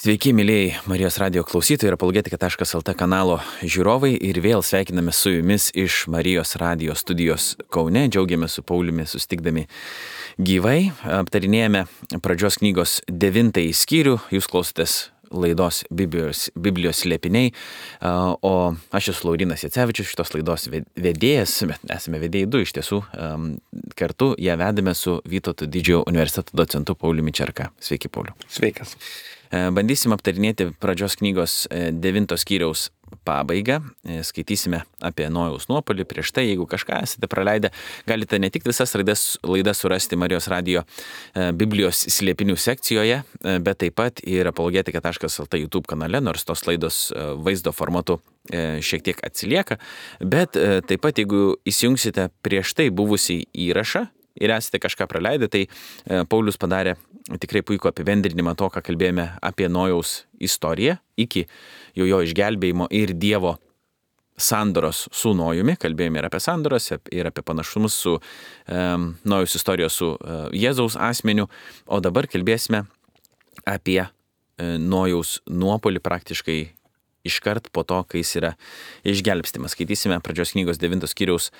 Sveiki, mėlyjei Marijos radio klausytojai ir apologetika.lt kanalo žiūrovai ir vėl sveikiname su jumis iš Marijos radio studijos Kaune. Džiaugiamės su Pauliumi susitikdami gyvai. Aptarinėjame pradžios knygos 9 skyrių. Jūs klausotės laidos Biblijos slėpiniai, o aš esu Laurinas Jacevičius, šitos laidos vedėjas, bet esame vedėjai du iš tiesų. Kartu ją vedame su Vytauto Didžiojo universiteto docentu Pauliumi Čerka. Sveiki, Pauliu. Sveikas. Bandysim aptarinėti pradžios knygos 9 skyriaus pabaigą. Skaitysime apie Nojaus nuopuolį. Prieš tai, jeigu kažką esate praleidę, galite ne tik visas laidas surasti Marijos radio Biblijos slėpinių sekcijoje, bet taip pat ir apologetika.lt YouTube kanale, nors tos laidos vaizdo formatu šiek tiek atsilieka. Bet taip pat, jeigu įsijungsite prieš tai buvusį įrašą ir esate kažką praleidę, tai Paulius padarė tikrai puikų apibendrinimą to, ką kalbėjome apie Nojaus istoriją iki jo išgelbėjimo ir Dievo sandoros su Nojumi. Kalbėjome ir apie sandoros, ir apie panašumus su Nojaus istorijos su Jėzaus asmeniu, o dabar kalbėsime apie Nojaus nuopuolį praktiškai iškart po to, kai jis yra išgelbstimas. Skaitysime pradžios knygos 9 skyriaus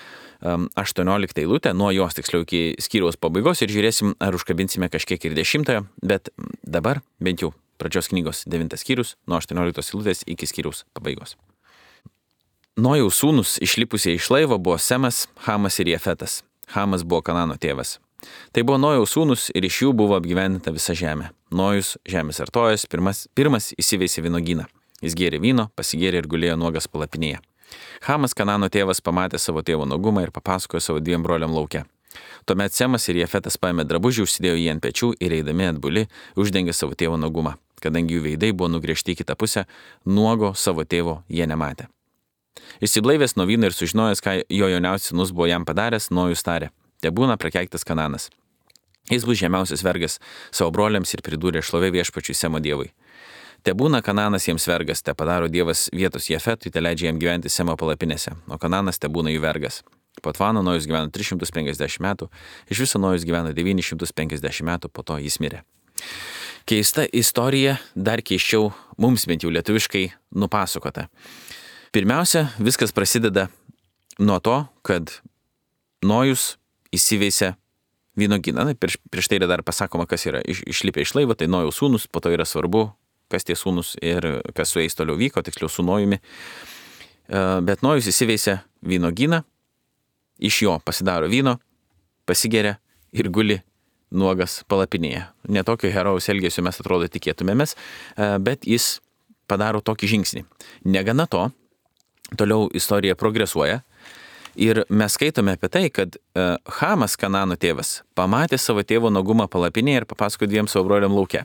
18 eilutę, nuo jos tiksliau iki skyriaus pabaigos ir žiūrėsim, ar užkabinsime kažkiek ir 10, bet dabar bent jau pradžios knygos 9 skyrius, nuo 18 eilutės iki skyriaus pabaigos. Nojaus sūnus išlipusieji iš laivo buvo Semas, Hamas ir Jefetas. Hamas buvo Kanano tėvas. Tai buvo Nojaus sūnus ir iš jų buvo apgyvendinta visa žemė. Nojus, žemės artojas, pirmas įsiveisė vynuogyną. Jis gėrė vyno, pasigėrė ir gulėjo nuogas palapinėje. Hamas, Kanano tėvas, pamatė savo tėvo nuogumą ir papasakojo savo 2 broliam lauke. Tuomet Semas ir Jefetas paėmė drabužį, užsidėjo jį ant pečių ir eidami atbuli uždengė savo tėvo nuogumą. Kadangi jų veidai buvo nugręžti į kitą pusę, nuogo savo tėvo jie nematė. Išsiblaivęs nuo vyno ir sužinojęs, ką jo jauniausias sūnus buvo jam padaręs, Nojus tarė: tebūna prakeiktas Kananas. Jis bus žemiausias vergas savo broliams ir pridūrė: šlovė viešpačiui Semo dievui. Tebūna Kananas jiems vergas, te padaro Dievas vietos Jefetui, te leidžia jam gyventi Semo palapinėse, o Kananas tebūna jų vergas. Po Tvano Nojus gyveno 350 metų, iš viso Nojus gyveno 950 metų, po to jis mirė. Keista istorija, dar keisčiau mums bent jau lietuviškai nupasakota. Pirmiausia, viskas prasideda nuo to, kad Nojus įsiveisė vynuogyną. Prieš tai yra dar pasakoma, kas yra išlipę iš laivo, tai Nojaus sūnus, po to yra svarbu, kas tie sūnus ir kas su jais toliau vyko, tiksliau su Nojumi. Bet Nojus įsiveisė vynuogyną, iš jo pasidaro vyno, pasigeria ir guli nuogas palapinėje. Netokio herojaus elgesio mes atrodo tikėtumėmės, bet jis padaro tokį žingsnį. Negana to, toliau istorija progresuoja ir mes skaitome apie tai, kad Hamas, Kanano tėvas, pamatė savo tėvo nuogumą palapinėje ir papasakojo 2 savo broliam lauke.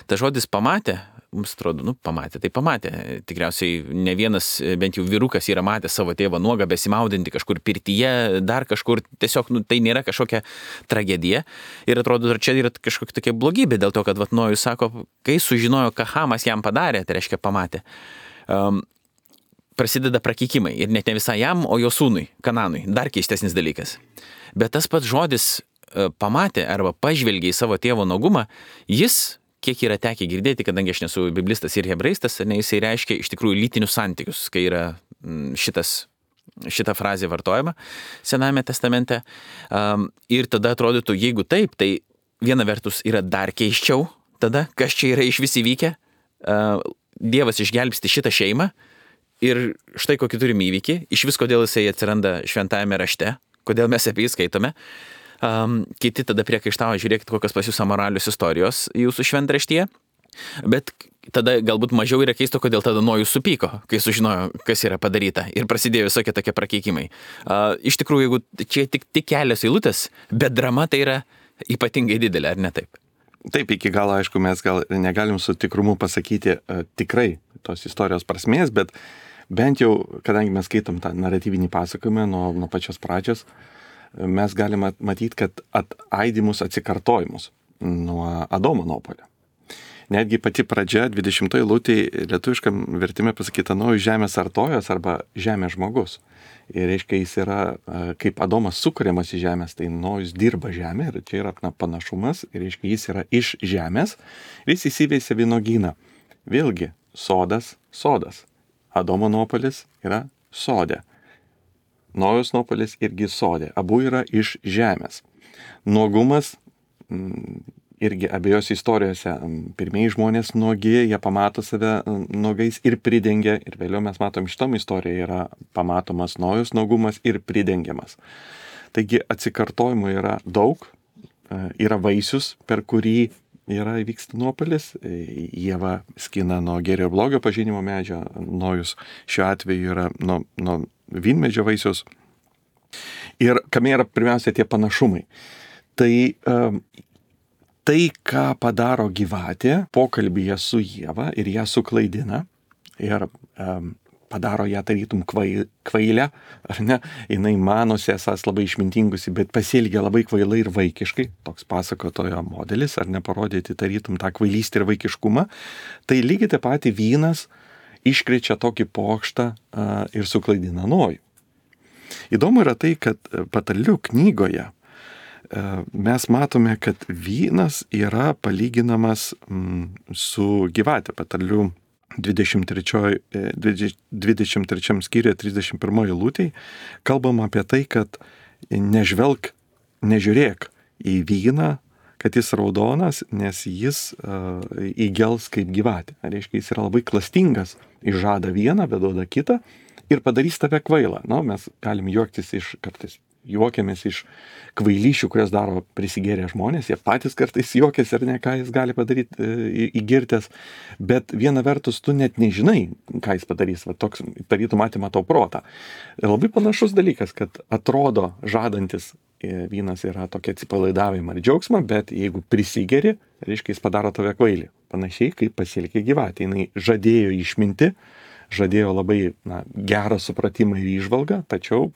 Ta žodis pamatė, mums atrodo, pamatė, tai pamatė. Tikriausiai ne vienas, bent jau vyrukas yra matęs savo tėvą nuogą besimaudinti kažkur pirtyje, dar kažkur, tiesiog tai nėra kažkokia tragedija. Ir atrodo, čia yra kažkokia tokia blogybė dėl to, kad Nojus sako, kai sužinojo, ką Hamas jam padarė, tai reiškia pamatė. Prasideda prakeikimai ir net ne visai jam, o jo sūnui, Kananui. Dar keistesnis dalykas. Bet tas pats žodis pamatė arba pažvelgė į savo tėvo nuogumą, jis, kiek yra tekę girdėti, kadangi aš nesu biblistas ir hebraistas, jisai reiškia iš tikrųjų lytinius santykius, kai yra šita frazė vartojama Senajame testamente. Ir tada atrodytų, jeigu taip, tai viena vertus yra dar keisčiau, tada kas čia yra iš vis įvykę. Dievas išgelbsti šitą šeimą ir štai kokį turim įvykį, iš vis kodėl jisai atsiranda šventajame rašte, kodėl mes apie jį skaitome. Kiti tada priekaištavo, žiūrėkit, kokios pas jūs amoralios istorijos jūsų šventraštyje, bet tada galbūt mažiau yra keisto, kodėl tada Nojus supyko, kai sužinojo, kas yra padaryta ir prasidėjo visokie tokie prakeikimai. Iš tikrųjų, jeigu čia tik kelios eilutės, bet drama tai yra ypatingai didelė, ar ne taip? Taip, iki galo, aišku, mes gal negalim su tikrumu pasakyti tikrai tos istorijos prasmės, bet bent jau, kadangi mes skaitom tą naratyvinį pasakojimą nuo pačios pradžios, mes galime matyti, kad ataidimus atsikartojimus nuo Adomo nuopuolio. Netgi pati pradžia, 20 eilutė lietuviškam vertime pasakyta Nojus žemės artojas arba žemės žmogus. Ir reiškia, jis yra, kaip Adomas sukuriamas į žemės, tai Nojus dirba žemę ir čia yra panašumas. Ir reiškia, jis yra iš žemės ir jis įsiveisė vynuogyną. Vėlgi, sodas. Adomo nuopuolis yra sode. Nojaus nuopuolis irgi sode. Abu yra iš žemės. Nuogumas irgi abiejose istorijose. Pirmieji žmonės nuogi, jie pamato save nuogais ir pridengia. Ir vėliau mes matom, šitom istorijoje yra pamatomas Nojaus nuogumas ir pridengiamas. Taigi atsikartojimų yra daug. Yra vaisius, per kurį vyksta nuopuolis. Ieva skina nuo gėrio ir blogio pažinimo medžio. Nojus šiuo atveju yra nuo vynmedžio vaisiaus. Ir kame yra pirmiausia tie panašumai. Tai, ką padaro gyvatė pokalbyje su Ieva ir ją suklaidina ir padaro ją tarytum kvailę, ar ne? Jinai manosi esas labai išmintingusi, bet pasielgia labai kvailai ir vaikiškai. Toks pasakotojo modelis, ar ne, parodyti tarytum tą kvailystę ir vaikiškumą. Tai lygiai taip pat vynas iškrečia tokį pokštą ir suklaidina Nojų. Įdomu yra tai, kad Patarlių knygoje mes matome, kad vynas yra palyginamas su gyvate. Patarlių 23 skyriuje 31 eilutėj kalbama apie tai, kad nežiūrėk į vyną, kad jis raudonas, nes jis įgels kaip gyvatė. Reiškia, jis yra labai klastingas, išžada vieną, bet duoda kitą ir padarys tave kvailą. Mes galim kartais juokiamės iš kvailyšių, kurias daro prisigėrę žmonės, jie patys kartais juokiasi ar ne, ką jis gali padaryti įgirtęs, bet viena vertus tu net nežinai, ką jis padarys, toks tarytum atima tau protą. Labai panašus dalykas, kad atrodo žadantis vynas yra tokia atsipalaidavimą ir džiaugsmą, bet jeigu prisigeri, reiškia, jis padaro tave kvailį. Panašiai kaip pasielgė gyvatė, jinai žadėjo išminti, žadėjo labai gerą supratimą ir įžvalgą, tačiau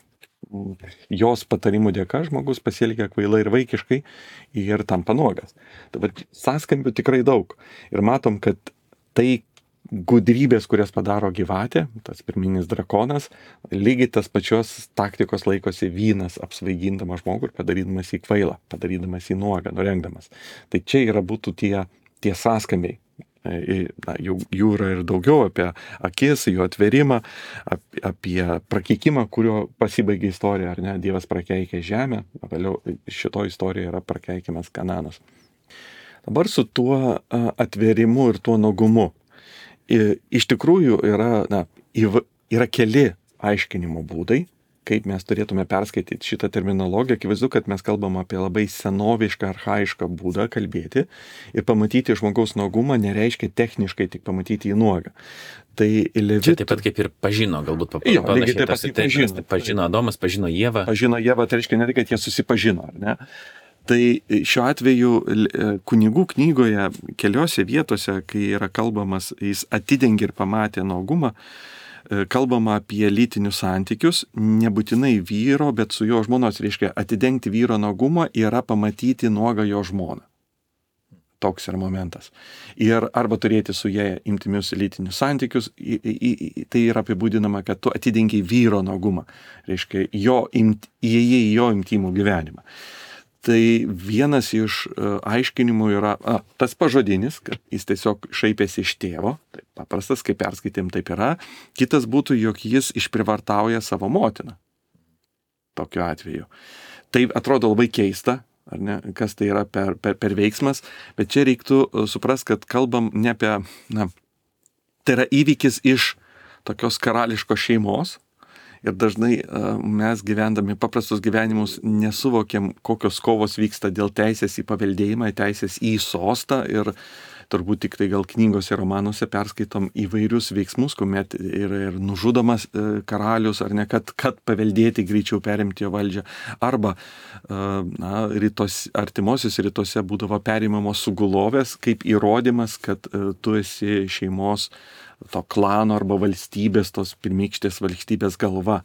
jos patarimų dėka žmogus pasielgia kvailai ir vaikiškai ir tampa nuogas. Dabar sąskambių tikrai daug. Ir matom, kad tai gudrybės, kurias padaro gyvatė, tas pirminis drakonas, lygiai tas pačios taktikos laikosi vynas, apsvaigindamas žmogų ir padarydamas jį kvailą, padarydamas jį nuogą, nurengdamas. Tai čia būtų tie sąskambiai. Jų yra ir daugiau apie akis, jų atverimą, apie prakeikimą, kurio pasibaigia istorija, ar ne, Dievas prakeikė žemę, vėliau šito istorijoje yra prakeikiamas Kananas. Dabar su tuo atverimu ir tuo nuogumu. Iš tikrųjų yra keli aiškinimo būdai, kaip mes turėtume perskaityti šitą terminologiją. Akivaizdu, kad mes kalbam apie labai senovišką, archaišką būdą kalbėti ir pamatyti žmogaus nuogumą nereiškia techniškai tik pamatyti jį nuogą. Tai Čia taip pat kaip ir pažino, galbūt panašiai. Pažino Adomas, pažino Ievą. Pažino Ievą, tai reiškia ne tai, kad jie susipažino, ar ne? Tai šiuo atveju kunigų knygoje keliose vietose, kai yra kalbamas, jis atidengė ir pamatė nuogumą, kalbama apie lytinius santykius, nebūtinai vyro, bet su jo žmonos, reiškia, atidengti vyro nuogumą yra pamatyti nuogą jo žmoną. Toks yra momentas. Ir arba turėti su jie intymius lytinius santykius, tai yra apibūdinama, kad tu atidengi vyro nuogumą, reiškia, įėjai į jo intymų gyvenimą. Tai vienas iš aiškinimų yra tas pažodinis, kad jis tiesiog šaipėsi iš tėvo, tai paprastas, kaip perskaitėm, taip yra. Kitas būtų, jog jis išprivartauja savo motiną. Tokiu atveju. Tai atrodo labai keista, ar ne, kas tai yra per veiksmas, bet čia reiktų suprasti, kad kalbam ne apie, tai yra įvykis iš tokios karališkos šeimos. Ir dažnai mes gyvendami paprastus gyvenimus nesuvokiam, kokios kovos vyksta dėl teisės į paveldėjimą, teisės į sostą ir turbūt tik tai gal knygose, romanuose perskaitom įvairius veiksmus, kuomet ir nužudomas karalius, ar ne, kad paveldėti greičiau perimti jo valdžią. Arba artimuosiuose rytuose būdavo perimamos sugulovės kaip įrodymas, kad tu esi šeimos to klano arba valstybės, tos pirmykštės valstybės galva.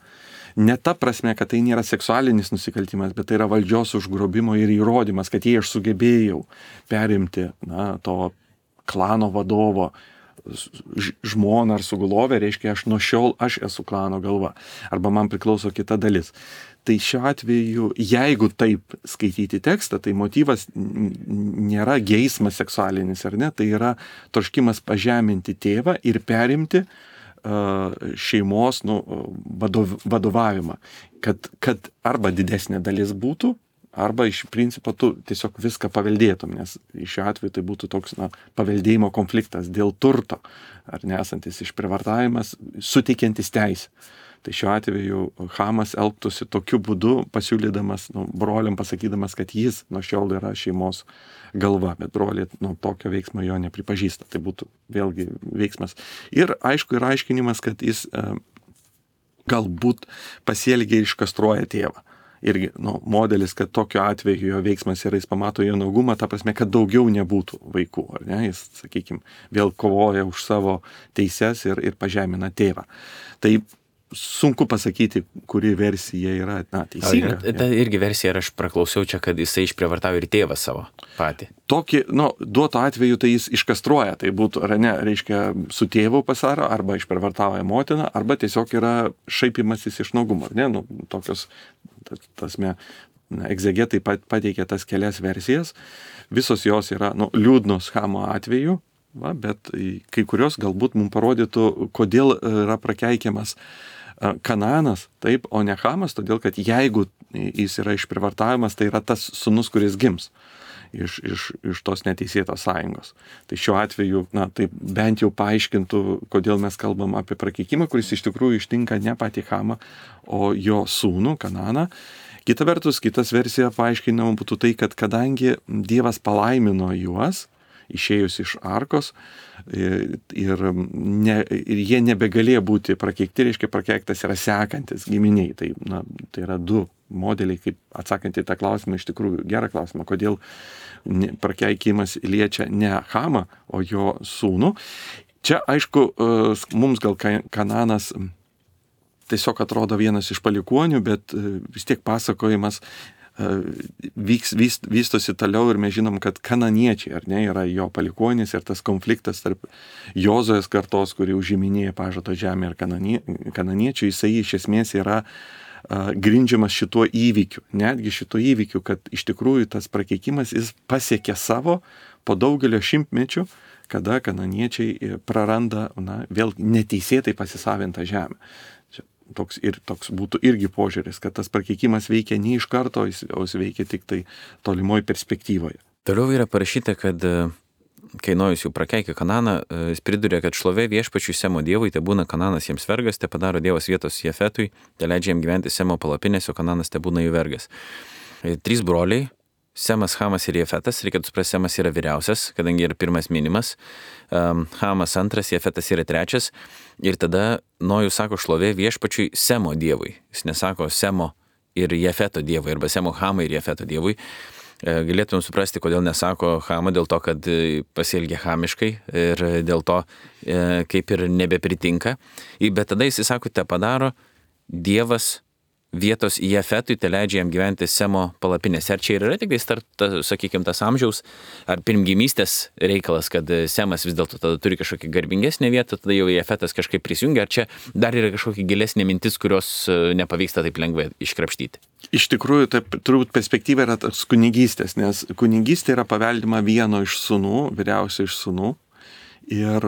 Ne ta prasme, kad tai nėra seksualinis nusikaltimas, bet tai yra valdžios užgrobimo ir įrodymas, kad jei aš sugebėjau perimti to klano vadovo žmoną ar sugulovę, reiškia, aš nuo šiol aš esu klano galva. Arba man priklauso kita dalis. Tai šiuo atveju, jeigu taip skaityti tekstą, tai motyvas nėra geismas seksualinis, ar ne, tai yra troškimas pažeminti tėvą ir perimti šeimos vadovavimą, kad arba didesnė dalis būtų, arba iš principo tu tiesiog viską paveldėtum, nes šiuo atveju tai būtų toks paveldėjimo konfliktas dėl turto, ar nesantis išprievartavimas, suteikiantis teisę. Tai šiuo atveju Hamas elgtųsi tokiu būdu, pasiūlydamas broliam, pasakydamas, kad jis nuo šiol yra šeimos galva, bet broliai tokio veiksmo jo nepripažįsta. Tai būtų vėlgi veiksmas. Ir aišku, yra aiškinimas, kad jis galbūt pasielgia ir iškastruoja tėvą. Irgi modelis, kad tokiu atveju jo veiksmas yra, jis pamato jo naugumą, ta prasme, kad daugiau nebūtų vaikų, ar ne? Jis, sakykime, vėl kovoja už savo teises ir pažemina tėvą. Tai sunku pasakyti, kuri versija yra teisinga. Ta irgi versija, ir aš praklausiau čia, kad jisai išprievartavo ir tėvą savo patį. Tokį, duoto atveju tai jis iškastruoja, tai būtų, ar ne, reiškia, su tėvu pasaro, arba išprievartauja motiną, arba tiesiog yra šaipimasis iš naugumo, ne, tokios, tasme, egzegetai pateikia tas kelias versijas, visos jos yra, liūdnos Hamo atveju, bet kai kurios galbūt mums parodytų, kodėl yra prakeikiamas Kanaanas, taip, o ne Hamas, todėl kad jeigu jis yra išprievartavimas, tai yra tas sūnus, kuris gims iš tos neteisėtos sąjungos. Tai šiuo atveju, tai bent jau paaiškintų, kodėl mes kalbam apie prakeikimą, kuris iš tikrųjų ištinka ne patį Hamą, o jo sūnų Kanaaną. Kita vertus, kitas versija paaiškinama būtų tai, kad kadangi Dievas palaimino juos, išėjus iš arkos ir jie nebegalėjo būti prakeikti, reiškia prakeiktas yra sekantis giminiai. Tai yra du modeliai, kaip atsakant į tą klausimą, iš tikrųjų gerą klausimą, kodėl prakeikimas liečia ne Hamą, o jo sūnų. Čia, aišku, mums gal Kanaanas tiesiog atrodo vienas iš palikuonių, bet vis tiek pasakojimas vystosi toliau ir mes žinom, kad kananiečiai, ar ne, yra jo palikuonis ir tas konfliktas tarp Jozojos kartos, kuri užiminėja pažado žemę, ir kananiečių, jisai iš esmės yra grindžiamas šituo įvykiu, netgi šituo įvykiu, kad iš tikrųjų tas prakeikimas jis pasiekė savo po daugelio šimtmečių, kada kananiečiai praranda vėl neteisėtai pasisavintą žemę. Toks būtų irgi požiūris, kad tas prakeikimas veikia ne iš karto, o jis veikia tik tai tolimoj perspektyvoje. Toliau yra parašyta, kad kai Nojus jau prakeikė Kanaaną, jis pridurė, kad šlovė viešpačiui Semo dievui, te būna Kanaanas jiems vergas, te padaro Dievas vietos Jefetui, te leidžia jam gyventi Semo palapinėse, o Kanaanas te būna jų vergas. 3 broliai, Semas, Hamas ir Jefetas, reikėtų suprasti, Semas yra vyriausias, kadangi yra pirmas minimas, Hamas antras, Jefetas yra trečias, ir tada Nojus sako šlovė viešpačiui Semo dievui. Jis nesako Semo ir Jefeto dievui, arba Semo, Hamai ir Jefeto dievui. Galėtum suprasti, kodėl nesako Hama, dėl to, kad pasielgia hamiškai ir dėl to kaip ir nebepritinka. Bet tada jis sako, te padaro Dievas vietos Jefetui, te leidžia jam gyventi Semo palapinėse. Ar čia yra tik sakykime, tas amžiaus ar pirmgimystės reikalas, kad Semas vis dėlto tada turi kažkokį garbingesnę vietą, tada jau Jefetas kažkaip prisijungia, ar čia dar yra kažkokia gilesnė mintis, kurios nepavyksta taip lengvai iškrapštyti? Iš tikrųjų, tai turbūt perspektyva yra tas kunigystės, nes kunigystė yra paveldima vieno iš sūnų, vyriausio iš sūnų. Ir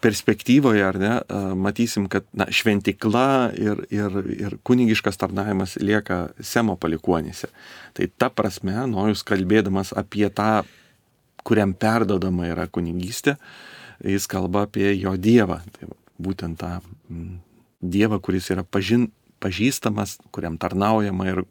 perspektyvoje, ar ne, matysim, kad šventikla ir kunigiškas tarnavimas lieka Semo palikuonyse. Tai ta prasme, Nojus kalbėdamas apie tą, kuriam perdodama yra kunigystė, jis kalba apie jo Dievą. Tai būtent tą Dievą, kuris yra pažįstamas, kuriam tarnaujama ir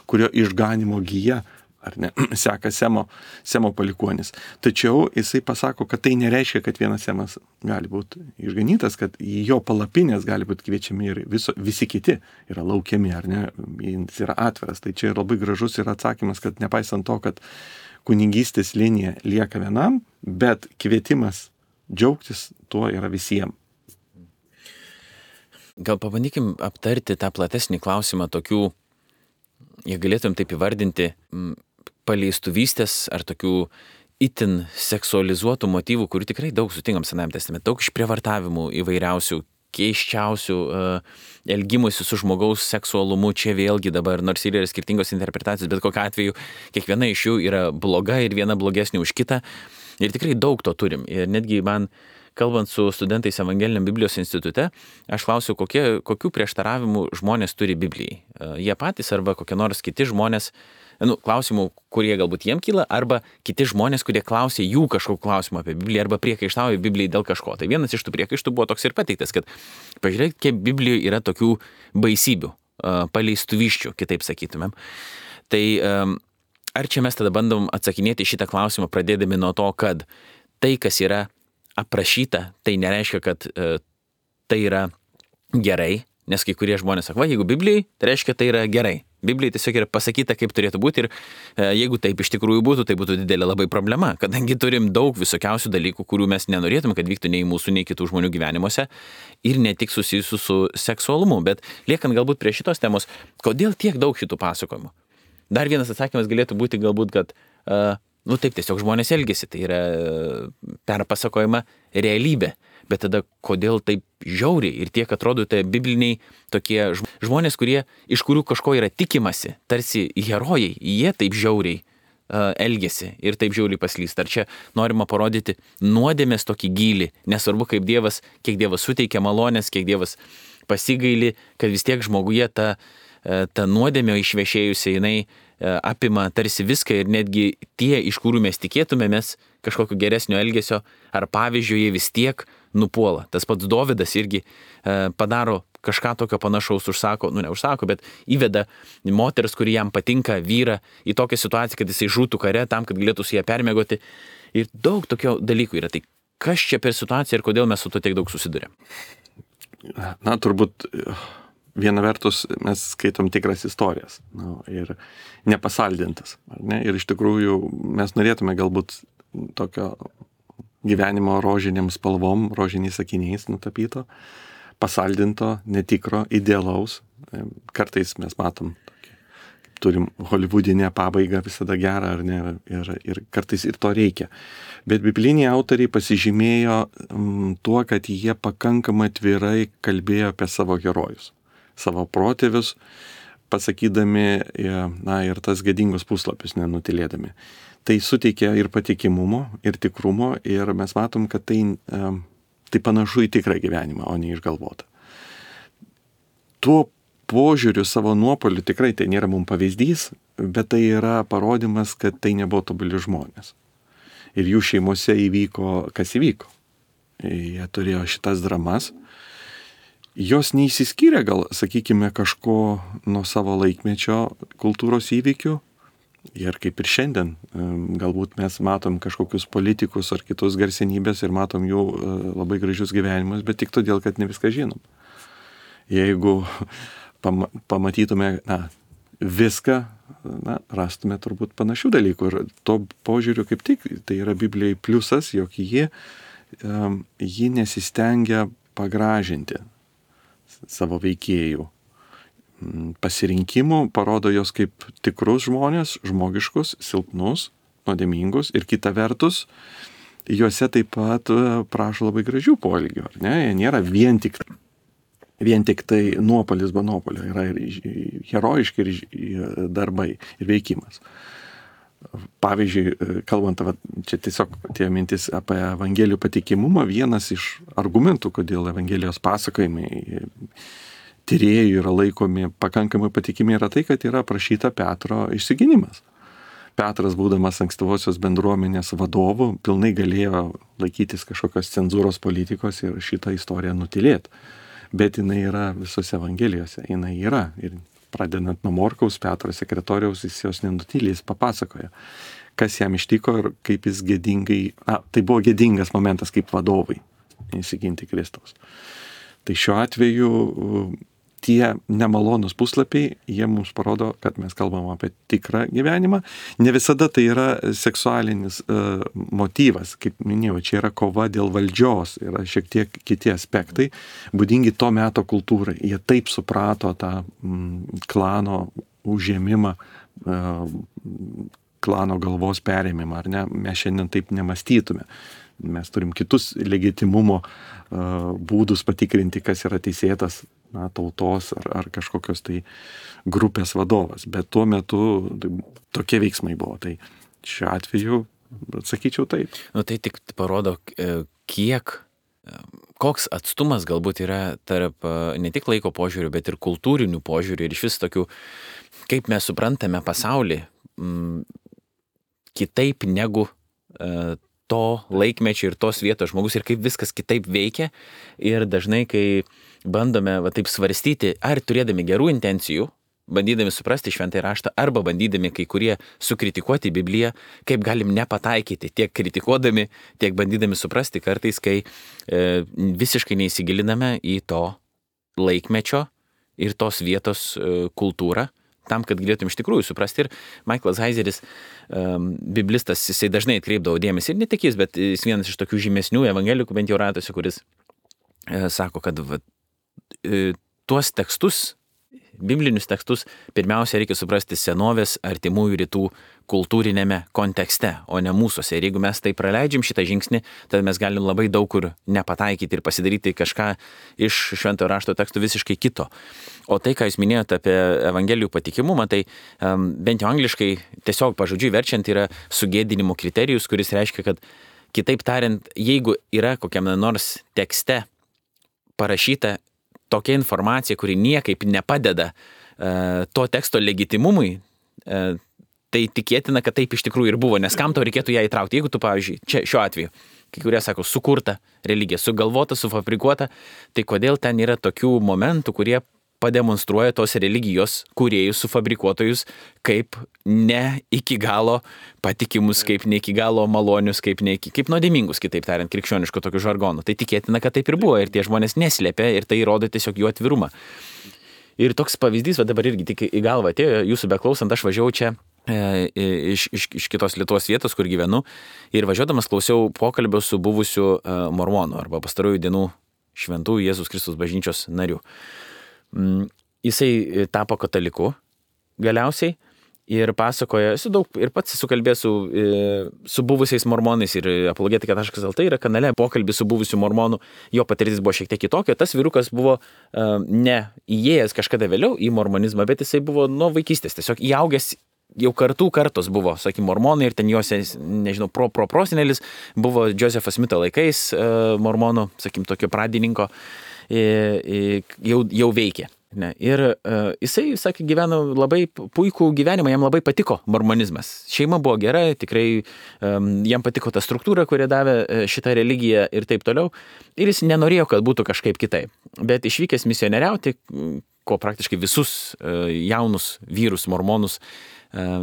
kurio išganimo gija, ar ne, seka Semo palikuonis. Tačiau jisai pasako, kad tai nereiškia, kad vienas Semas gali būti išganytas, kad į jo palapinės gali būti kviečiami ir visi kiti yra laukiami, ar ne, jis yra atviras. Tai čia labai gražus yra atsakymas, kad nepaisant to, kad kunigystės linija lieka vienam, bet kvietimas džiaugtis tuo yra visiems. Gal pabandykim aptarti tą platesnį klausimą tokių, jei galėtum taip įvardinti, paleistuvystės ar tokių itin seksualizuotų motyvų, kurių tikrai daug sutinkam Senajame testamente, daug išprievartavimų įvairiausių, keiščiausių elgimusi su žmogaus seksualumu, čia vėlgi dabar, nors ir yra skirtingos interpretacijos, bet kokiu atveju kiekviena iš jų yra bloga ir viena blogesnė už kitą. Ir tikrai daug to turim. Ir netgi man, kalbant su studentais Evangeliniam Biblijos institute, aš klausiu, kokių prieštaravimų žmonės turi Biblijai. Jie patys arba kokie nors kiti žmonės, klausimų, kurie galbūt jiem kyla, arba kiti žmonės, kurie klausė jų kažkokį klausimą apie Bibliją arba priekaištauja Biblijai dėl kažko. Tai vienas iš tų priekaištų buvo toks ir pateiktas, kad pažiūrėk, kiek Biblijoje yra tokių baisybių, paleistuviščių, kitaip sakytumėm. Tai ar čia mes tada bandom atsakinėti šitą klausimą, pradėdami nuo to, kad tai, kas yra aprašyta, tai nereiškia, kad tai yra gerai, nes kai kurie žmonės sako, jeigu Biblijai, tai reiškia, tai yra gerai. Biblijai tiesiog yra pasakyta, kaip turėtų būti ir jeigu taip iš tikrųjų būtų, tai būtų didelė labai problema, kadangi turim daug visokiausių dalykų, kurių mes nenorėtume, kad vyktų nei mūsų, nei kitų žmonių gyvenimuose ir ne tik susijusių su seksualumu, bet liekant galbūt prie šitos temos, kodėl tiek daug šitų pasakojimų? Dar vienas atsakymas galėtų būti galbūt, kad taip tiesiog žmonės elgesi, tai yra perpasakojama realybė. Bet tada kodėl taip žiauriai ir tiek atrodo tai bibliniai tokie žmonės, iš kurių kažko yra tikimasi, tarsi herojai, jie taip žiauriai elgesi ir taip žiauriai paslysta. Ar čia norima parodyti nuodėmės tokį gylį, nesvarbu kiek Dievas suteikia malonės, kiek Dievas pasigaili, kad vis tiek žmoguje ta nuodėmė išvešėjusi, jinai apima tarsi viską ir netgi tie, iš kurių mes tikėtumėmės kažkokio geresnio elgesio ar pavyzdžio, jie vis tiek nupuola. Tas pats Dovydas irgi padaro kažką tokio panašaus, neužsako, bet įveda moters, kuri jam patinka, vyrą į tokią situaciją, kad jisai žūtų kare tam, kad galėtų su ją permiegoti. Ir daug tokio dalykų yra. Tai kas čia per situaciją ir kodėl mes su to tiek daug susidurėm? Turbūt viena vertus mes skaitom tikras istorijas ir nepasaldintas. Ar ne? Ir iš tikrųjų mes norėtume galbūt tokio gyvenimo rožinėm spalvom, rožiniais sakiniais nutapyto, pasaldinto, netikro, idealaus. Kartais mes matom, turim holivudinę pabaigą visada gerą, ar ne, ir kartais ir to reikia. Bet bibliniai autoriai pasižymėjo tuo, kad jie pakankamai atvirai kalbėjo apie savo herojus, savo protėvius, pasakydami, ir tas gėdingus puslapius nenutilėdami. Tai suteikia ir patikimumo, ir tikrumo, ir mes matom, kad tai panašu į tikrą gyvenimą, o ne išgalvotą. Tuo požiūriu savo nuopolių tikrai tai nėra mums pavyzdys, bet tai yra parodimas, kad tai nebuvo tobuli žmonės. Ir jų šeimose įvyko, kas įvyko. Jie turėjo šitas dramas. Jos neįsiskyrė gal, sakykime, kažko nuo savo laikmečio kultūros įvykių. Ir kaip ir šiandien, galbūt mes matom kažkokius politikus ar kitus garsenybės ir matom jų labai gražius gyvenimus, bet tik todėl, kad ne viską žinom. Jeigu pamatytume viską, rastume turbūt panašių dalykų. Ir to požiūriu kaip tik, tai yra Biblijai pliusas, jog ji nesistengia pagražinti savo veikėjų pasirinkimų, parodo jos kaip tikrus žmonės, žmogiškus, silpnus, nuodėmingus ir kita vertus, juose taip pat prašo labai gražių poelgių, ar ne? Jie nėra vien tik tai nuopolis be nuopolio, yra ir herojiški ir darbai ir veikimas. Pavyzdžiui, kalbant, čia tiesiog tie mintis apie Evangelijų patikimumą, vienas iš argumentų, kodėl Evangelijos pasakojimai tyrėjų yra laikomi pakankamai patikimi, yra tai, kad yra aprašyta Petro išsigynimas. Petras, būdamas ankstyvosios bendruomenės vadovu, pilnai galėjo laikytis kažkokios cenzūros politikos ir šitą istoriją nutilėti. Bet jinai yra visose Evangelijose, jinai yra. Ir pradedant nuo Morkaus, Petro sekretoriaus, jis jos nenutylė, jis papasakoja, kas jam ištiko ir kaip jis gėdingai, tai buvo gėdingas momentas kaip vadovai įsiginti Kristaus. Tai šiuo atveju tie nemalonus puslapiai, jie mums parodo, kad mes kalbam apie tikrą gyvenimą. Ne visada tai yra seksualinis motyvas, kaip minėjau, čia yra kova dėl valdžios, yra šiek tiek kiti aspektai, būdingi to meto kultūrai. Jie taip suprato tą klano užėmimą, klano galvos perėmimą, ar ne? Mes šiandien taip nemastytume. Mes turim kitus legitimumo būdus patikrinti, kas yra teisėtas tautos ar kažkokios tai grupės vadovas. Bet tuo metu tokie veiksmai buvo. Tai šiuo atveju atsakyčiau taip. Tai tik parodo, koks atstumas galbūt yra tarp ne tik laiko požiūrių, bet ir kultūrinių požiūrių ir iš vis tokių, kaip mes suprantame pasaulį kitaip negu to laikmečio ir tos vietos žmogus ir kaip viskas kitaip veikia. Ir dažnai, kai bandome taip svarstyti, ar turėdami gerų intencijų, bandydami suprasti šventąjį raštą, arba bandydami kai kurie sukritikuoti Bibliją, kaip galim nepataikyti, tiek kritikuodami, tiek bandydami suprasti kartais, kai visiškai neįsigiliname į to laikmečio ir tos vietos kultūrą, tam, kad galėtum iš tikrųjų suprasti. Ir Michaelas Heiseris, biblistas, jisai dažnai atkreipdavo dėmesį, ir ne tik jis, bet jis vienas iš tokių žymesnių evangelikų, bent jau ratuose, kuris sako, kad tuos tekstus, biblinius tekstus, pirmiausia reikia suprasti senovės artimųjų rytų kultūrinėme kontekste, o ne mūsuose. Ir jeigu mes tai praleidžiam šitą žingsnį, tada mes galim labai daug kur nepataikyti ir pasidaryti kažką iš šventojo rašto tekstų visiškai kito. O tai, ką jūs minėjote apie evangelijų patikimumą, tai bent jau angliškai tiesiog pažodžiui verčiant yra sugėdinimo kriterijus, kuris reiškia, kad kitaip tariant, jeigu yra kokiam nors tekste parašyta tokia informacija, kuri niekaip nepadeda to teksto legitimumui, tai tikėtina, kad taip iš tikrųjų ir buvo, nes kam tau reikėtų ją įtraukti. Jeigu tu, pavyzdžiui, čia šiuo atveju, kai kurie sako, sukurta religija, sugalvota, sufabrikuota, tai kodėl ten yra tokių momentų, kurie pademonstruoja tos religijos kūrėjus, sufabrikuotojus, kaip ne iki galo patikimus, kaip ne iki galo malonius, kaip nuodėmingus, kitaip tariant, krikščioniško tokių žargonų. Tai tikėtina, kad taip ir buvo ir tie žmonės neslėpė ir tai rodo tiesiog jų atvirumą. Ir toks pavyzdys, dabar irgi tik į galvą atėjo, jūsų beklausant, aš važiavau čia iš kitos Lietuvos vietos, kur gyvenu, ir važiuodamas klausiau pokalbio su buvusiu mormonu arba pastarųjų dienų šventų Jėzus Kristus bažnyčios nariu. Jisai tapo kataliku galiausiai ir pasakoja, esu daug ir pats esu kalbėjęs su buvusiais mormonais ir apologetika.lt yra kanale pokalbis su buvusiu mormonu, jo patirtis buvo šiek tiek kitokia, tas vyrukas buvo ne įėjęs kažkada vėliau į mormonizmą, bet jisai buvo nuo vaikystės, tiesiog įaugęs jau kartos buvo, sakykime, mormonai ir ten jos, nežinau, prosenelis buvo Josepho Smito laikais mormonų, sakykime, tokio pradininko, jau veikė. Ne. Ir jisai, sakė, gyveno labai puikų gyvenimą, jam labai patiko mormonizmas. Šeima buvo gera, tikrai jam patiko ta struktūra, kurią davė šitą religiją ir taip toliau. Ir jis nenorėjo, kad būtų kažkaip kitaip. Bet išvykęs misionieriauti, ko praktiškai visus jaunus vyrus mormonus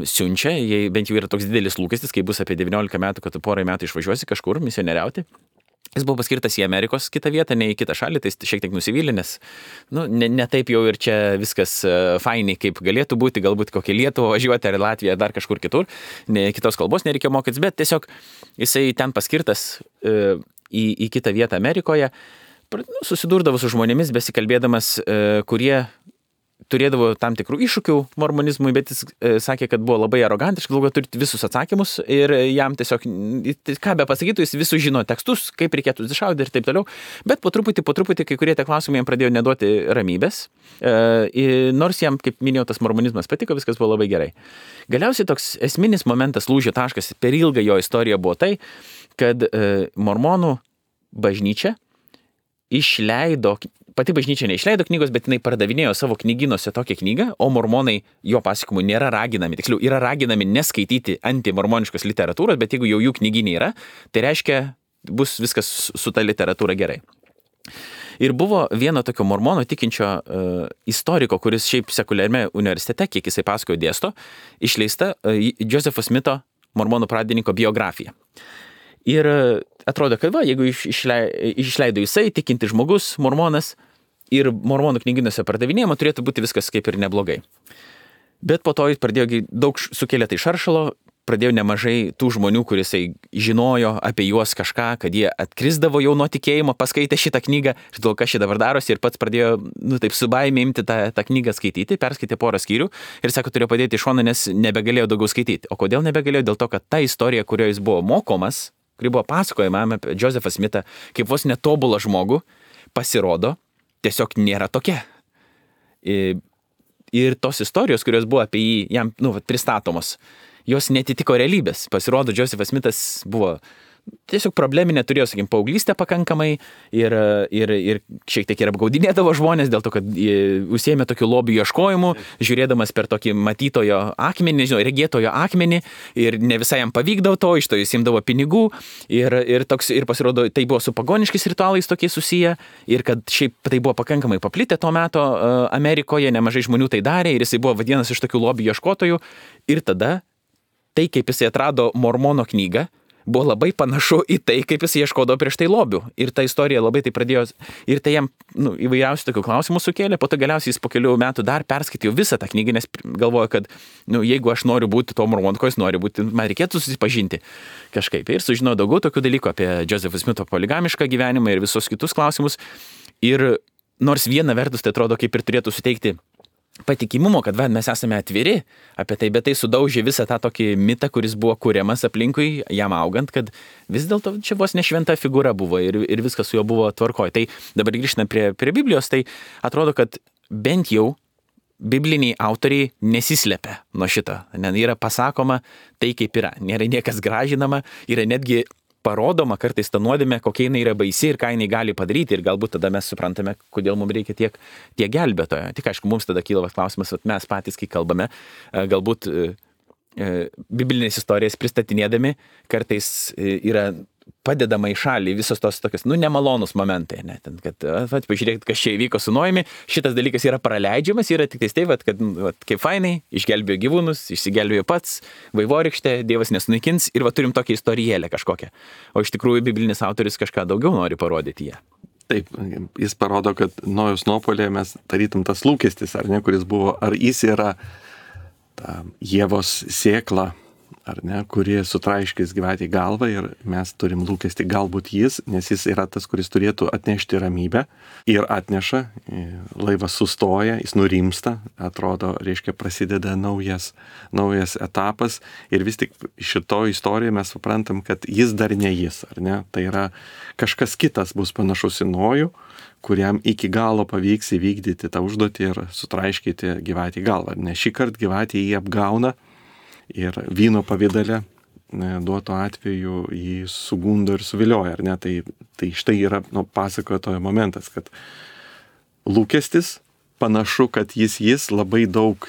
siunčia, jei bent jau yra toks didelis lūkestis, kai bus apie 19 metų, kad tu porai metų išvažiuosi kažkur misionieriauti. Jis buvo paskirtas į Amerikos kitą vietą, ne į kitą šalį, tai šiek tiek nusivylė, nes ne taip jau ir čia viskas fainiai, kaip galėtų būti, galbūt kokią Lietuvą važiuoti ar Latviją, dar kažkur kitur, kitos kalbos nereikėjo mokytis, bet tiesiog jisai ten paskirtas į kitą vietą Amerikoje, susidurdavo su žmonėmis, besikalbėdamas, kurie turėdavo tam tikrų iššūkių mormonizmui, bet jis sakė, kad buvo labai arogantiškas, galvojo, turite visus atsakymus ir jam tiesiog, ką be pasakytų, jis visus žino tekstus, kaip reikėtų iššaudyti ir taip toliau, bet po truputį kai kurie tie klausimai jam pradėjo neduoti ramybės, nors jam, kaip minėjau, tas mormonizmas patiko, viskas buvo labai gerai. Galiausiai toks esminis momentas, lūžio taškas per ilgą jo istoriją buvo tai, kad mormonų bažnyčia išleido, pati bažnyčia neišleido knygos, bet jinai pardavinėjo savo knygynuose tokią knygą, o mormonai jo pasakojimu nėra raginami, tiksliau, yra raginami neskaityti antimormoniškos literatūros, bet jeigu jau jų knyginė yra, tai reiškia, bus viskas su ta literatūra gerai. Ir buvo vieno tokio mormono tikinčio istoriko, kuris šiaip sekuliariame universitete, kiek jisai pasakojo dėsto, išleista Josepho Smito, mormonų pradininko biografija. Ir atrodo, kad jeigu išleido jisai, tikinti žmogus, mormonas, ir mormonų knygynuose pardavinėjama, turėtų būti viskas kaip ir neblogai. Bet po to jis pradėjo daug sukėlė tai šaršalo, pradėjo nemažai tų žmonių, kurisai žinojo apie juos kažką, kad jie atkrisdavo jau nuo tikėjimo, paskaitė šitą knygą, žinau, kas čia dabar darosi ir pats pradėjo, taip su baimė imti tą knygą skaityti, perskaitė porą skyrių ir sako, turėjo padėti į šoną, nes nebegalėjo daugiau skaityti. O kodėl nebegalėjo? Dėl to, kad ta istorija, kurioje jis buvo mokomas, kuri buvo pasakojama apie Josephą Smithą, kaip vos netobulą žmogų, pasirodo, tiesiog nėra tokia. Ir tos istorijos, kurios buvo apie jį, jam pristatomos, jos netitiko realybės. Pasirodo, Josephas Smithas buvo tiesiog probleminė, turėjo, sakykim, paauglystę pakankamai ir šiek tiek ir apgaudinėdavo žmonės dėl to, kad užsiėmė tokių lobių ieškojimų, žiūrėdamas per tokį matytojo akmenį, regėtojo akmenį ir ne visai jam pavykdavo to, iš to jis imdavo pinigų ir pasirodo, tai buvo su pagoniškais ritualais tokie susiję ir kad šiaip tai buvo pakankamai paplitę to meto Amerikoje, nemažai žmonių tai darė ir jisai buvo vadinamas iš tokių lobių ieškotojų ir tada tai, kaip jisai atrado Mormono knygą, buvo labai panašu į tai, kaip jis ieškodavo prieš tai lobių. Ir ta istorija labai tai pradėjo, ir tai jam įvairiausių tokių klausimų sukėlė, po to galiausiai jis po kelių metų dar perskaitė visą tą knygą, nes galvojo, kad jeigu aš noriu būti to Mormonu, ko jis nori būti, man reikėtų susipažinti kažkaip. Ir sužinojo daugiau tokių dalykų apie Joseph Smito poligamišką gyvenimą ir visus kitus klausimus. Ir nors viena vertus tai atrodo kaip ir turėtų suteikti patikimumo, kad mes esame atviri apie tai, bet tai sudaužė visą tą tokį mitą, kuris buvo kuriamas aplinkui jam augant, kad vis dėlto čia vos nešventa figūra buvo ir viskas su juo buvo tvarkoj. Tai dabar grįžtant prie Biblijos, tai atrodo, kad bent jau bibliniai autoriai nesislepia nuo šito. Yra pasakoma tai, kaip yra. Nėra niekas gražinama, yra netgi parodoma kartais ta nuodėmė, kokia jinai yra baisi ir ką jinai gali padaryti ir galbūt tada mes suprantame, kodėl mums reikia tiek gelbėtojo. Tik aišku, mums tada kyla klausimas, mes patys, kai kalbame, galbūt biblinės istorijas pristatinėdami, kartais yra padedama į šalį visos tos tokios, nemalonus momentai, ne? Ten, kad, pažiūrėkit, kas čia įvyko su Noemi, šitas dalykas yra praleidžiamas, yra tik tai, kad kaip fainai, išgelbėjo gyvūnus, išsigelbėjo pats, vaivorykštė, Dievas nesunaikins ir turim tokią istorijėlę kažkokią. O iš tikrųjų, biblinis autorius kažką daugiau nori parodyti ją. Taip, jis parodo, kad Nojaus nuopuolyje mes tarytum tas lūkestis, ar ne, kuris buvo, ar jis yra ta Ievos sėkla, ar ne, kuri sutraiškis gyvatį galvą ir mes turim lūkesti galbūt jis, nes jis yra tas, kuris turėtų atnešti ramybę ir atneša, laivas sustoja, jis nurimsta, atrodo, reiškia, prasideda naujas etapas ir vis tik šito istorijoje mes suprantam, kad jis dar ne jis, ar ne, tai yra kažkas kitas bus panašus į Nojų, kuriam iki galo pavyks įvykdyti tą užduotį ir sutraiškyti gyvatį galvą, nes šį kartą gyvatį jį apgauna ir vyno pavydale duoto atveju jį sugundo ir suvilioja, ar ne? Tai štai yra pasakotojo momentas, kad lūkestis panašu, kad jis labai daug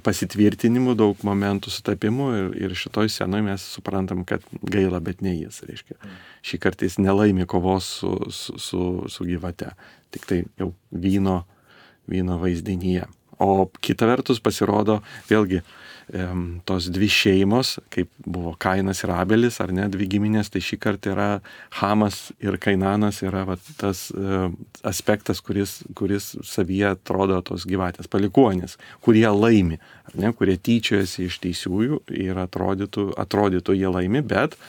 pasitvirtinimų, daug momentų sutapimų ir šitoj scenoje mes suprantam, kad gaila, bet ne jis, reiškia. Šį kartą jis nelaimi kovos su gyvate, tik tai jau vyno vaizdinyje. O kita vertus pasirodo vėlgi tos dvi šeimos, kaip buvo Kainas ir Abelis, ar ne, dvi giminės, tai šį kartą yra Hamas ir Kainanas yra tas aspektas, kuris savyje atrodo tos gyvatės palikuonys, kurie laimi, ar ne, kurie tyčiojasi iš teisiųjų ir atrodytų jie laimi, bet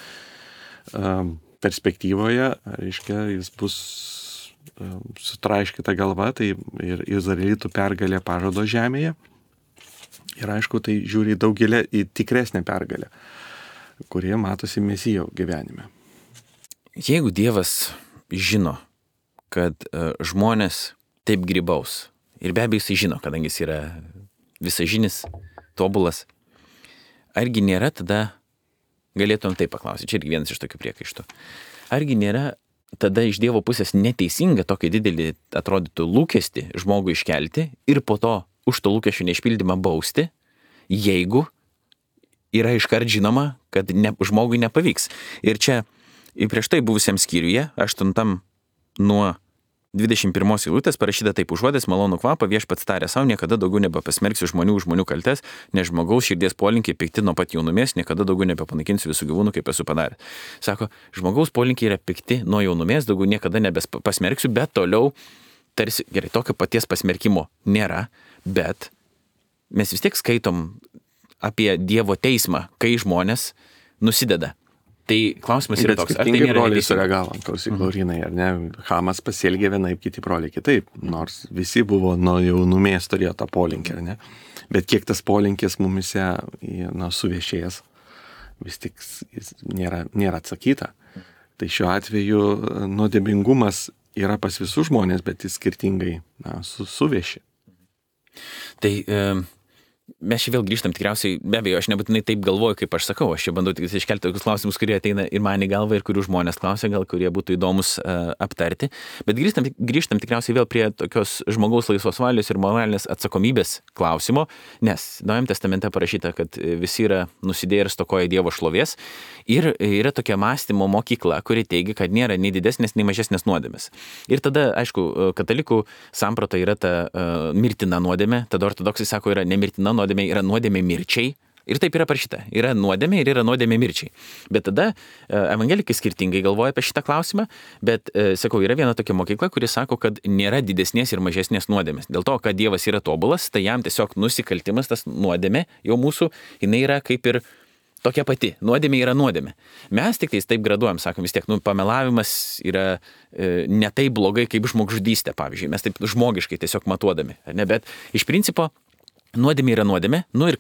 perspektyvoje, reiškia, jis bus sutraiškyta galva, tai ir izraelitų pergalė pažado žemėje. Ir aišku, tai žiūri į tikresnę pergalę, kurie matosi Mesijo gyvenime. Jeigu Dievas žino, kad žmonės taip grybaus, ir be abejo jis žino, kadangi jis yra visažinis, tobulas, argi nėra tada, galėtum taip paklausyti, čia irgi vienas iš tokių priekaištų, argi nėra tada iš Dievo pusės neteisinga tokį didelį atrodytų lūkestį žmogui iškelti ir po to už to lūkesčių neišpildymą bausti, jeigu yra iškart žinoma, kad žmogui nepavyks. Ir čia prieš tai buvusiam skyriuje, 8 nuo 21 eilutės parašyta taip: užuodęs malonų kvapą viešpats tarė savo, niekada daugiau nebepasmerksiu žmonių kaltes, nes žmogaus širdies polinkiai pikti nuo pat jaunumės, niekada daugiau nebepanaikinsiu visų gyvūnų, kaip esu padaręs. Sako, žmogaus polinkiai yra pikti nuo jaunumės, daugiau niekada nebepasmerksiu, bet toliau tarsi, gerai, tokio paties pasmerkimo nėra, bet mes vis tiek skaitom apie Dievo teismą, kai žmonės nusideda. Tai klausimas yra toks, ar tai nėra broliai neteisinga? sureagavo, klausyk, Laurinai, ar ne? Hamas pasielgė vienaip, kiti broliai kitaip, nors visi buvo nuo jaunumės turėjo tą polinkį, ar ne? Bet kiek tas polinkis mumise suviešėjęs, vis tik jis nėra atsakyta. Tai šiuo atveju nuodėmingumas yra pas visus žmonės, bet jis skirtingai suvieši. Tai mes čia vėl grįžtam tikriausiai, be abejo, aš nebūtinai taip galvoju, kaip aš sakau, aš čia bandau tik iškelti tokius klausimus, kurie ateina ir man į galvą ir kurių žmonės klausia, gal kurie būtų įdomus aptarti, bet grįžtam tikriausiai vėl prie tokios žmogaus laisvos valios ir moralinės atsakomybės klausimo, nes Naujajame testamente parašyta, kad visi yra nusidėję ir stokoja Dievo šlovės ir yra tokia mąstymo mokykla, kuri teigia, kad nėra nei didesnės, nei mažesnės nuodėmės. Ir tada, aišku, katalikų samprata yra ta mirtina nuodėmė, tada ortodoksai sako, yra nemirtina nuodėmė, yra nuodėmė mirčiai. Ir taip yra parašyta. Yra nuodėmė ir yra nuodėmė mirčiai. Bet tada evangelikai skirtingai galvoja apie šitą klausimą, bet, sakau, yra viena tokia mokykla, kuri sako, kad nėra didesnės ir mažesnės nuodėmės. Dėl to, kad Dievas yra tobulas, tai jam tiesiog nusikaltimas, tas nuodėmė jau mūsų, jinai yra kaip ir tokia pati. Nuodėmė yra nuodėmė. Mes tik taip graduojam, sakom, vis tiek, pamelavimas yra ne taip blogai kaip žmogžudystė, pavyzdžiui. Mes taip žmogiškai tiesiog matuodami. Ne? Bet iš principo nuodėmė yra nuodėmė, ir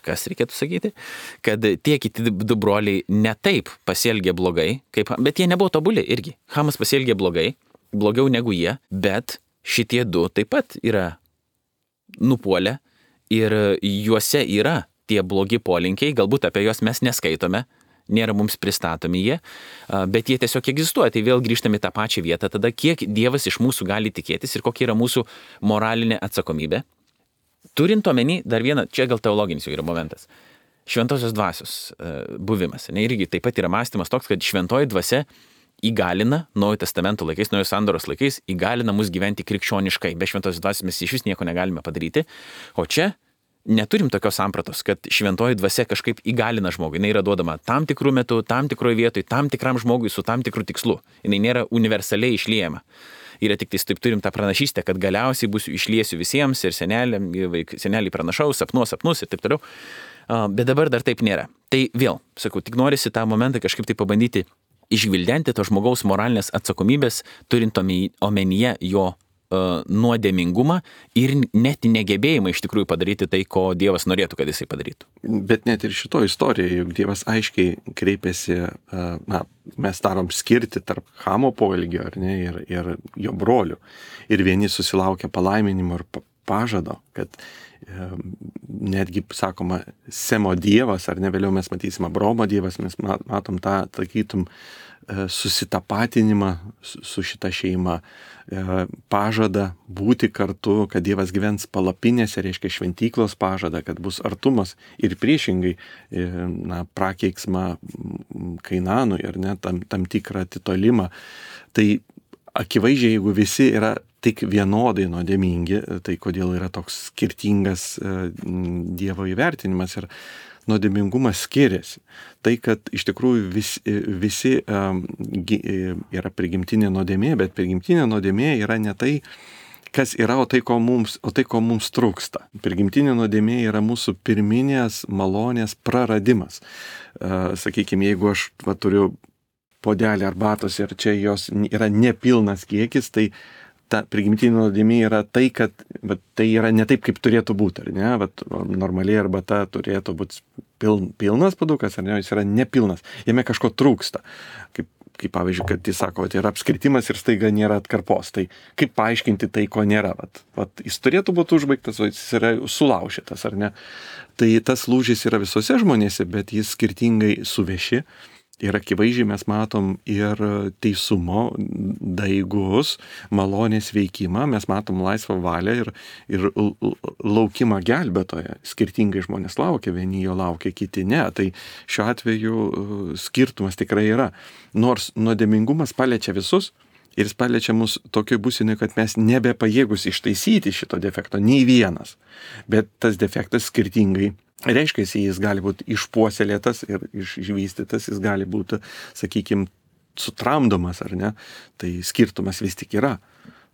kas reikėtų sakyti, kad tie kiti du broliai ne taip pasielgė blogai, bet jie nebuvo tobuli irgi. Hamas pasielgė blogai, blogiau negu jie, bet šitie du taip pat yra nupuolę ir juose yra tie blogi polinkiai, galbūt apie juos mes neskaitome, nėra mums pristatomi jie, bet jie tiesiog egzistuoja. Tai vėl grįžtame į tą pačią vietą, tada kiek Dievas iš mūsų gali tikėtis ir kokia yra mūsų moralinė atsakomybė. Turint omeny, dar vieną, čia gal teologinis jau yra momentas, šventosios dvasios buvimas. Ne, irgi taip pat yra mąstymas toks, kad šventoji dvasia įgalina, Naujojo testamento laikais, Naujos sandoros laikais, įgalina mus gyventi krikščioniškai. Be šventosios dvasios mes iš vis nieko negalime padaryti. O čia neturim tokios sampratos, kad šventoji dvasia kažkaip įgalina žmogų. Jis yra duodama tam tikrų metų, tam tikroje vietoje, tam tikram žmogui su tam tikru tikslu. Jis nėra universaliai išliejama. Yra tik taip turim tą pranašystę, kad galiausiai išliesiu visiems ir seneliai pranašaus, sapnus ir taip toliau. Bet dabar dar taip nėra. Tai vėl, sakau, tik norisi tą momentą kažkaip tai pabandyti išgvildenti to žmogaus moralinės atsakomybės, turint omenyje jo nuodėmingumą ir net negebėjimą iš tikrųjų padaryti tai, ko Dievas norėtų, kad jisai padarytų. Bet net ir šito istorijoje, juk Dievas aiškiai kreipėsi, mes darom skirti tarp Hamo poelgio, ar ne, ir jo brolių. Ir vieni susilaukia palaiminimo ir pažado, kad netgi, sakoma, Semo Dievas, ar ne, vėliau mes matysime Abromo Dievas, mes matom tą, sakytum, susitapatinimą su šita šeima, pažada būti kartu, kad Dievas gyvens palapinėse, reiškia šventyklos pažada, kad bus artumas ir priešingai prakeiksmą Kainanui, ar ne, tam tikrą atitolimą. Tai akivaizdžiai, jeigu visi yra tik vienodai nuodėmingi, tai kodėl yra toks skirtingas Dievo įvertinimas ir nuodėmingumas skiriasi. Tai, kad iš tikrųjų visi yra prigimtinė nuodėmė, bet prigimtinė nuodėmė yra ne tai, kas yra, o tai, ko mums trūksta. Prigimtinė nuodėmė yra mūsų pirminės malonės praradimas. Sakykime, jeigu aš turiu puodelį arbatos ir čia jos yra nepilnas kiekis, tai ta prigimtinė nuodėmė yra tai, kad tai yra ne taip, kaip turėtų būti, ar ne? Normaliai arbata turėtų būti pilnas puodukas, ar ne? Jis yra nepilnas. Jame kažko trūksta. Kaip pavyzdžiui, kad jis sako, tai yra apskritimas ir staiga nėra atkarpos. Tai kaip paaiškinti tai, ko nėra? Jis turėtų būti užbaigtas, o jis yra sulaužytas, ar ne? Tai tas lūžis yra visose žmonėse, bet jis skirtingai suveši. Ir akivaizdžiai mes matom ir teisumo daigus, malonės veikimą, mes matom laisvą valią ir laukimą gelbėtoje. Skirtingai žmonės laukia, vieni jo laukia, kiti ne. Tai šiuo atveju skirtumas tikrai yra. Nors nuodėmingumas paliečia visus ir jis paliečia mus tokioj būsenai, kad mes nebepajėgus ištaisyti šito defekto, nei vienas. Bet tas defektas skirtingai reiškia, jis gali būti išpuoselėtas ir išvystytas, jis gali būti, sakykime, sutramdomas, ar ne? Tai skirtumas vis tik yra.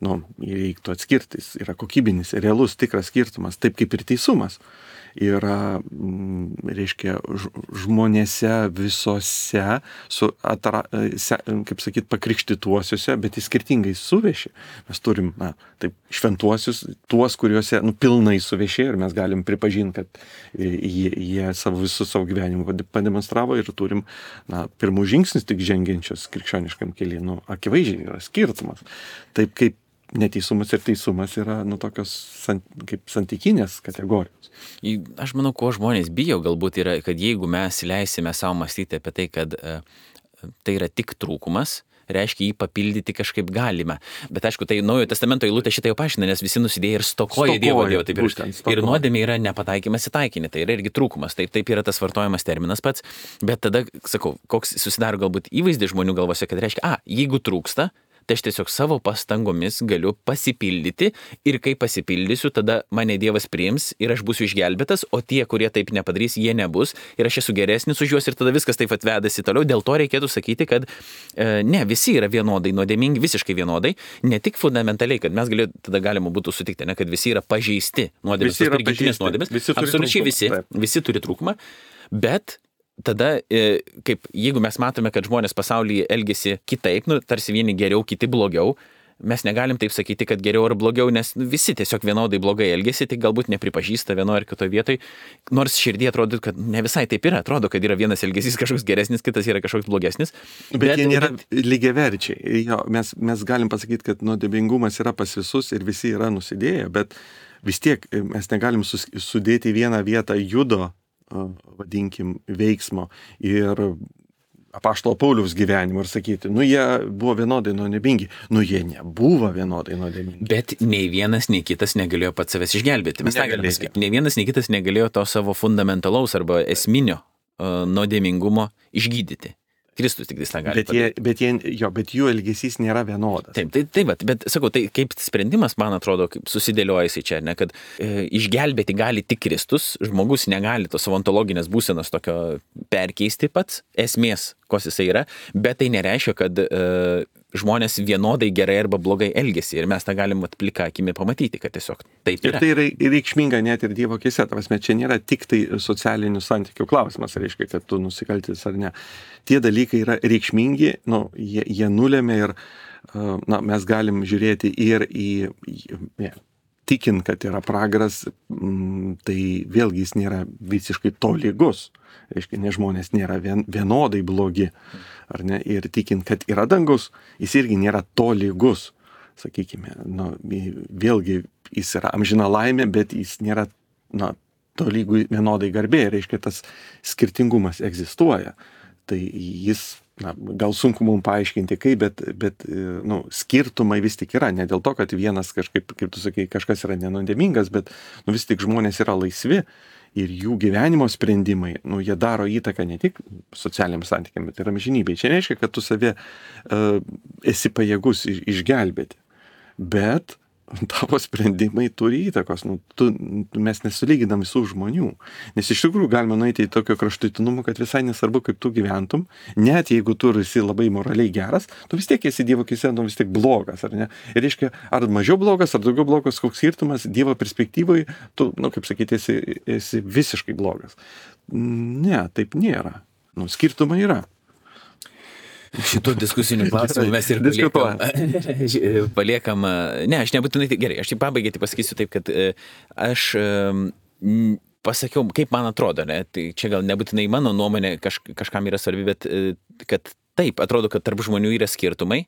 Reiktų atskirti, jis yra kokybinis, realus, tikras skirtumas, taip kaip ir teisumas. yra, reiškia, žmonėse visose, kaip sakyt, pakrikštytuosiuose, bet jis skirtingai suvešė. Mes turim, taip, šventuosius, tuos, kuriuose, pilnai suvešė ir mes galim pripažinti, kad jie visų savo gyvenimą pademonstravo ir turim, pirmų žingsnis tik žengiančios krikščioniškam kely. Akivaizdžiai yra skirtumas. Taip kaip neteisumas ir teisumas yra tokios kaip santykinės kategorijos. Aš manau, ko žmonės bijo galbūt yra, kad jeigu mes leisime savo mąstyti apie tai, kad tai yra tik trūkumas, reiškia jį papildyti kažkaip galime. Bet aišku, tai Naujojo Testamento eilutė šitą jau paaiškina, nes visi nusidėjo ir stokoja Dievo. Ir nuodėmė yra nepataikymas į taikinį, tai yra irgi trūkumas. Taip yra tas vartojamas terminas pats, bet tada, sakau, koks susidaro galbūt įvaizdis žmonių galvose, kad reiškia, jeigu trūksta, tai aš tiesiog savo pastangomis galiu pasipildyti ir kai pasipildysiu, tada mane Dievas priims ir aš būsiu išgelbėtas, o tie, kurie taip nepadarys, jie nebus ir aš esu geresnis už juos ir tada viskas taip atvedasi toliau. Dėl to reikėtų sakyti, kad ne, visi yra vienodai nuodėmingi, visiškai vienodai, ne tik fundamentaliai, kad mes tada galima būtų sutikti, ne, kad visi yra pažeisti nuodėmės, tos prigimtinės nuodėmės, absoliučiai visi turi trūkumą, bet tada, kaip jeigu mes matome, kad žmonės pasaulyje elgiasi kitaip, tarsi vieni geriau, kiti blogiau, mes negalim taip sakyti, kad geriau ar blogiau, nes visi tiesiog vienodai blogai elgiasi, tik galbūt nepripažįsta vienoje ar kitoje vietoje, nors širdį atrodo, kad ne visai taip yra, atrodo, kad yra vienas elgesys kažkoks geresnis, kitas yra kažkoks blogesnis. Bet jie nėra lygiaverčiai. Mes galim pasakyti, kad nuodėmingumas yra pas visus ir visi yra nusidėję, bet vis tiek mes negalim sudėti į vieną vietą judo, vadinkim, veiksmo ir apaštalo Pauliaus gyvenimo ir sakyti, jie buvo vienodai nuodėmingi. Jie nebuvo vienodai nuodėmingi. Bet nei vienas, nei kitas negalėjo pats savęs išgelbėti. Mes tą galime pasakyti. Nei vienas, nei kitas negalėjo to savo fundamentalaus arba esminio nuodėmingumo išgydyti. Kristus tik tą gali padaryti. Bet jų elgesys nėra vienodas. Taip, bet sakau, tai kaip sprendimas, man atrodo, kaip susidėlioja jisai čia, ne, kad išgelbėti gali tik Kristus, žmogus negali tos savo ontologinės būsenos tokio perkeisti pats, esmės, kos jisai yra, bet tai nereiškia, kad žmonės vienodai gerai arba blogai elgesi ir mes tą galim plika akimi pamatyti, kad tiesiog taip yra. Ir tai yra reikšminga net ir Dievo akyse, čia nėra tik tai socialinių santykių klausimas, reiškia, kad tu nusikaltis ar ne. Tie dalykai yra reikšmingi, jie nulėmė ir mes galim žiūrėti ir tikint, kad yra pragaras, tai vėlgi jis nėra visiškai tolygus. Reiškia, ne žmonės nėra vienodai blogi, ar ne, ir tikint, kad yra dangus, jis irgi nėra tolygus, sakykime, vėlgi jis yra amžina laimė, bet jis nėra, tolygų vienodai garbė, reiškia, tas skirtingumas egzistuoja, tai jis, gal sunku mums paaiškinti kaip, bet skirtumai vis tik yra, ne dėl to, kad vienas kažkaip, kaip tu sakai, kažkas yra nenuodėmingas, bet vis tik žmonės yra laisvi. Ir jų gyvenimo sprendimai, jie daro įtaką ne tik socialiniam santykiam, bet ir amžinybei. Čia nereiškia, kad tu save esi pajėgus išgelbėti, bet tavo sprendimai turi įtakos. Mes nesulyginam visų žmonių. Nes iš tikrųjų galima nueiti į tokio kraštutinumo, kad visai nesvarbu, kaip tu gyventum, net jeigu tu esi labai moraliai geras, tu vis tiek esi Dievo akyse, vis tiek blogas, ar ne? Ir reiškia, ar mažiau blogas, ar daugiau blogas, koks skirtumas Dievo perspektyvoje, tu, kaip sakyti, esi visiškai blogas. Ne, taip nėra. Skirtumai yra. Šitų diskusinių klausimų mes ir paliekam. Ne, aš nebūtinai, gerai, aš tik pabaigai pasakysiu taip, kad aš pasakiau, kaip man atrodo, ne, tai čia gal nebūtinai mano nuomonė kažkam yra svarbi, bet kad taip, atrodo, kad tarp žmonių yra skirtumai,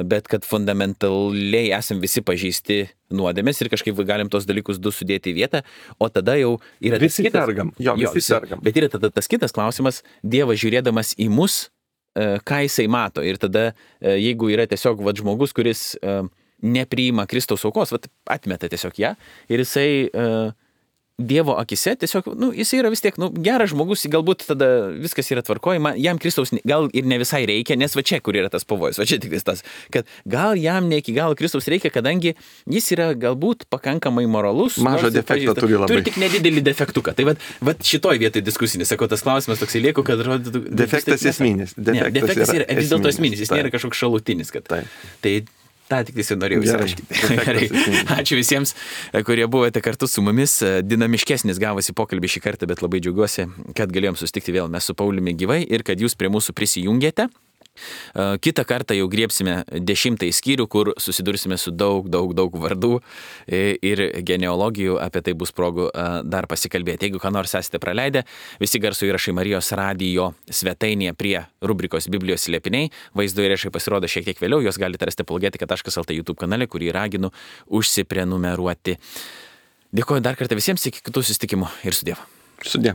bet kad fundamentaliai esam visi pažeisti nuodėmės ir kažkaip galim tos dalykus du sudėti į vietą, o tada jau yra visi sergam. Visi sergam. Bet yra tada tas kitas klausimas, Dievas žiūrėdamas į mus, ką jisai mato. Ir tada, jeigu yra tiesiog žmogus, kuris nepriima Kristaus aukos, atmeta tiesiog ją, ir jisai Dievo akise tiesiog, jisai yra vis tiek, geras žmogus, galbūt tada viskas yra tvarkojama, jam Kristaus gal ir ne visai reikia, nes čia, kur yra tas pavojus, čia tik tas, kad gal jam ne iki galo Kristaus reikia, kadangi jis yra galbūt pakankamai moralus. Mažą defektą turi labai. Turi tik nedidelį defektuką. Tai šitoj vietoj diskusinis, sakau, tas klausimas toksai lieku, kad defektas esminis. Defektas yra vis dėlto esminis, jis nėra kažkoks šalutinis. Tai Ta tik tai norėjau Gerai. įsirašyti. Gerai. Ačiū visiems, kurie buvote kartu su mumis. Dinamiškesnis gavosi pokalbį šį kartą, bet labai džiaugiuosi, kad galėjom susitikti vėl mes su Pauliumi gyvai ir kad jūs prie mūsų prisijungėte. Kitą kartą jau griebsime 10 skyrių, kur susidursime su daug vardų ir genealogijų, apie tai bus progų dar pasikalbėti. Jeigu ką nors esate praleidę, visi garso įrašai Marijos radijo svetainėje prie rubrikos Biblijos slėpiniai, vaizdo įrašai pasirodo šiek tiek vėliau, juos galite rasti apologetika.lt YouTube kanale, kurį raginu užsiprenumeruoti. Dėkuoju dar kartą visiems, iki kitų susitikimų ir sudie. Sudie.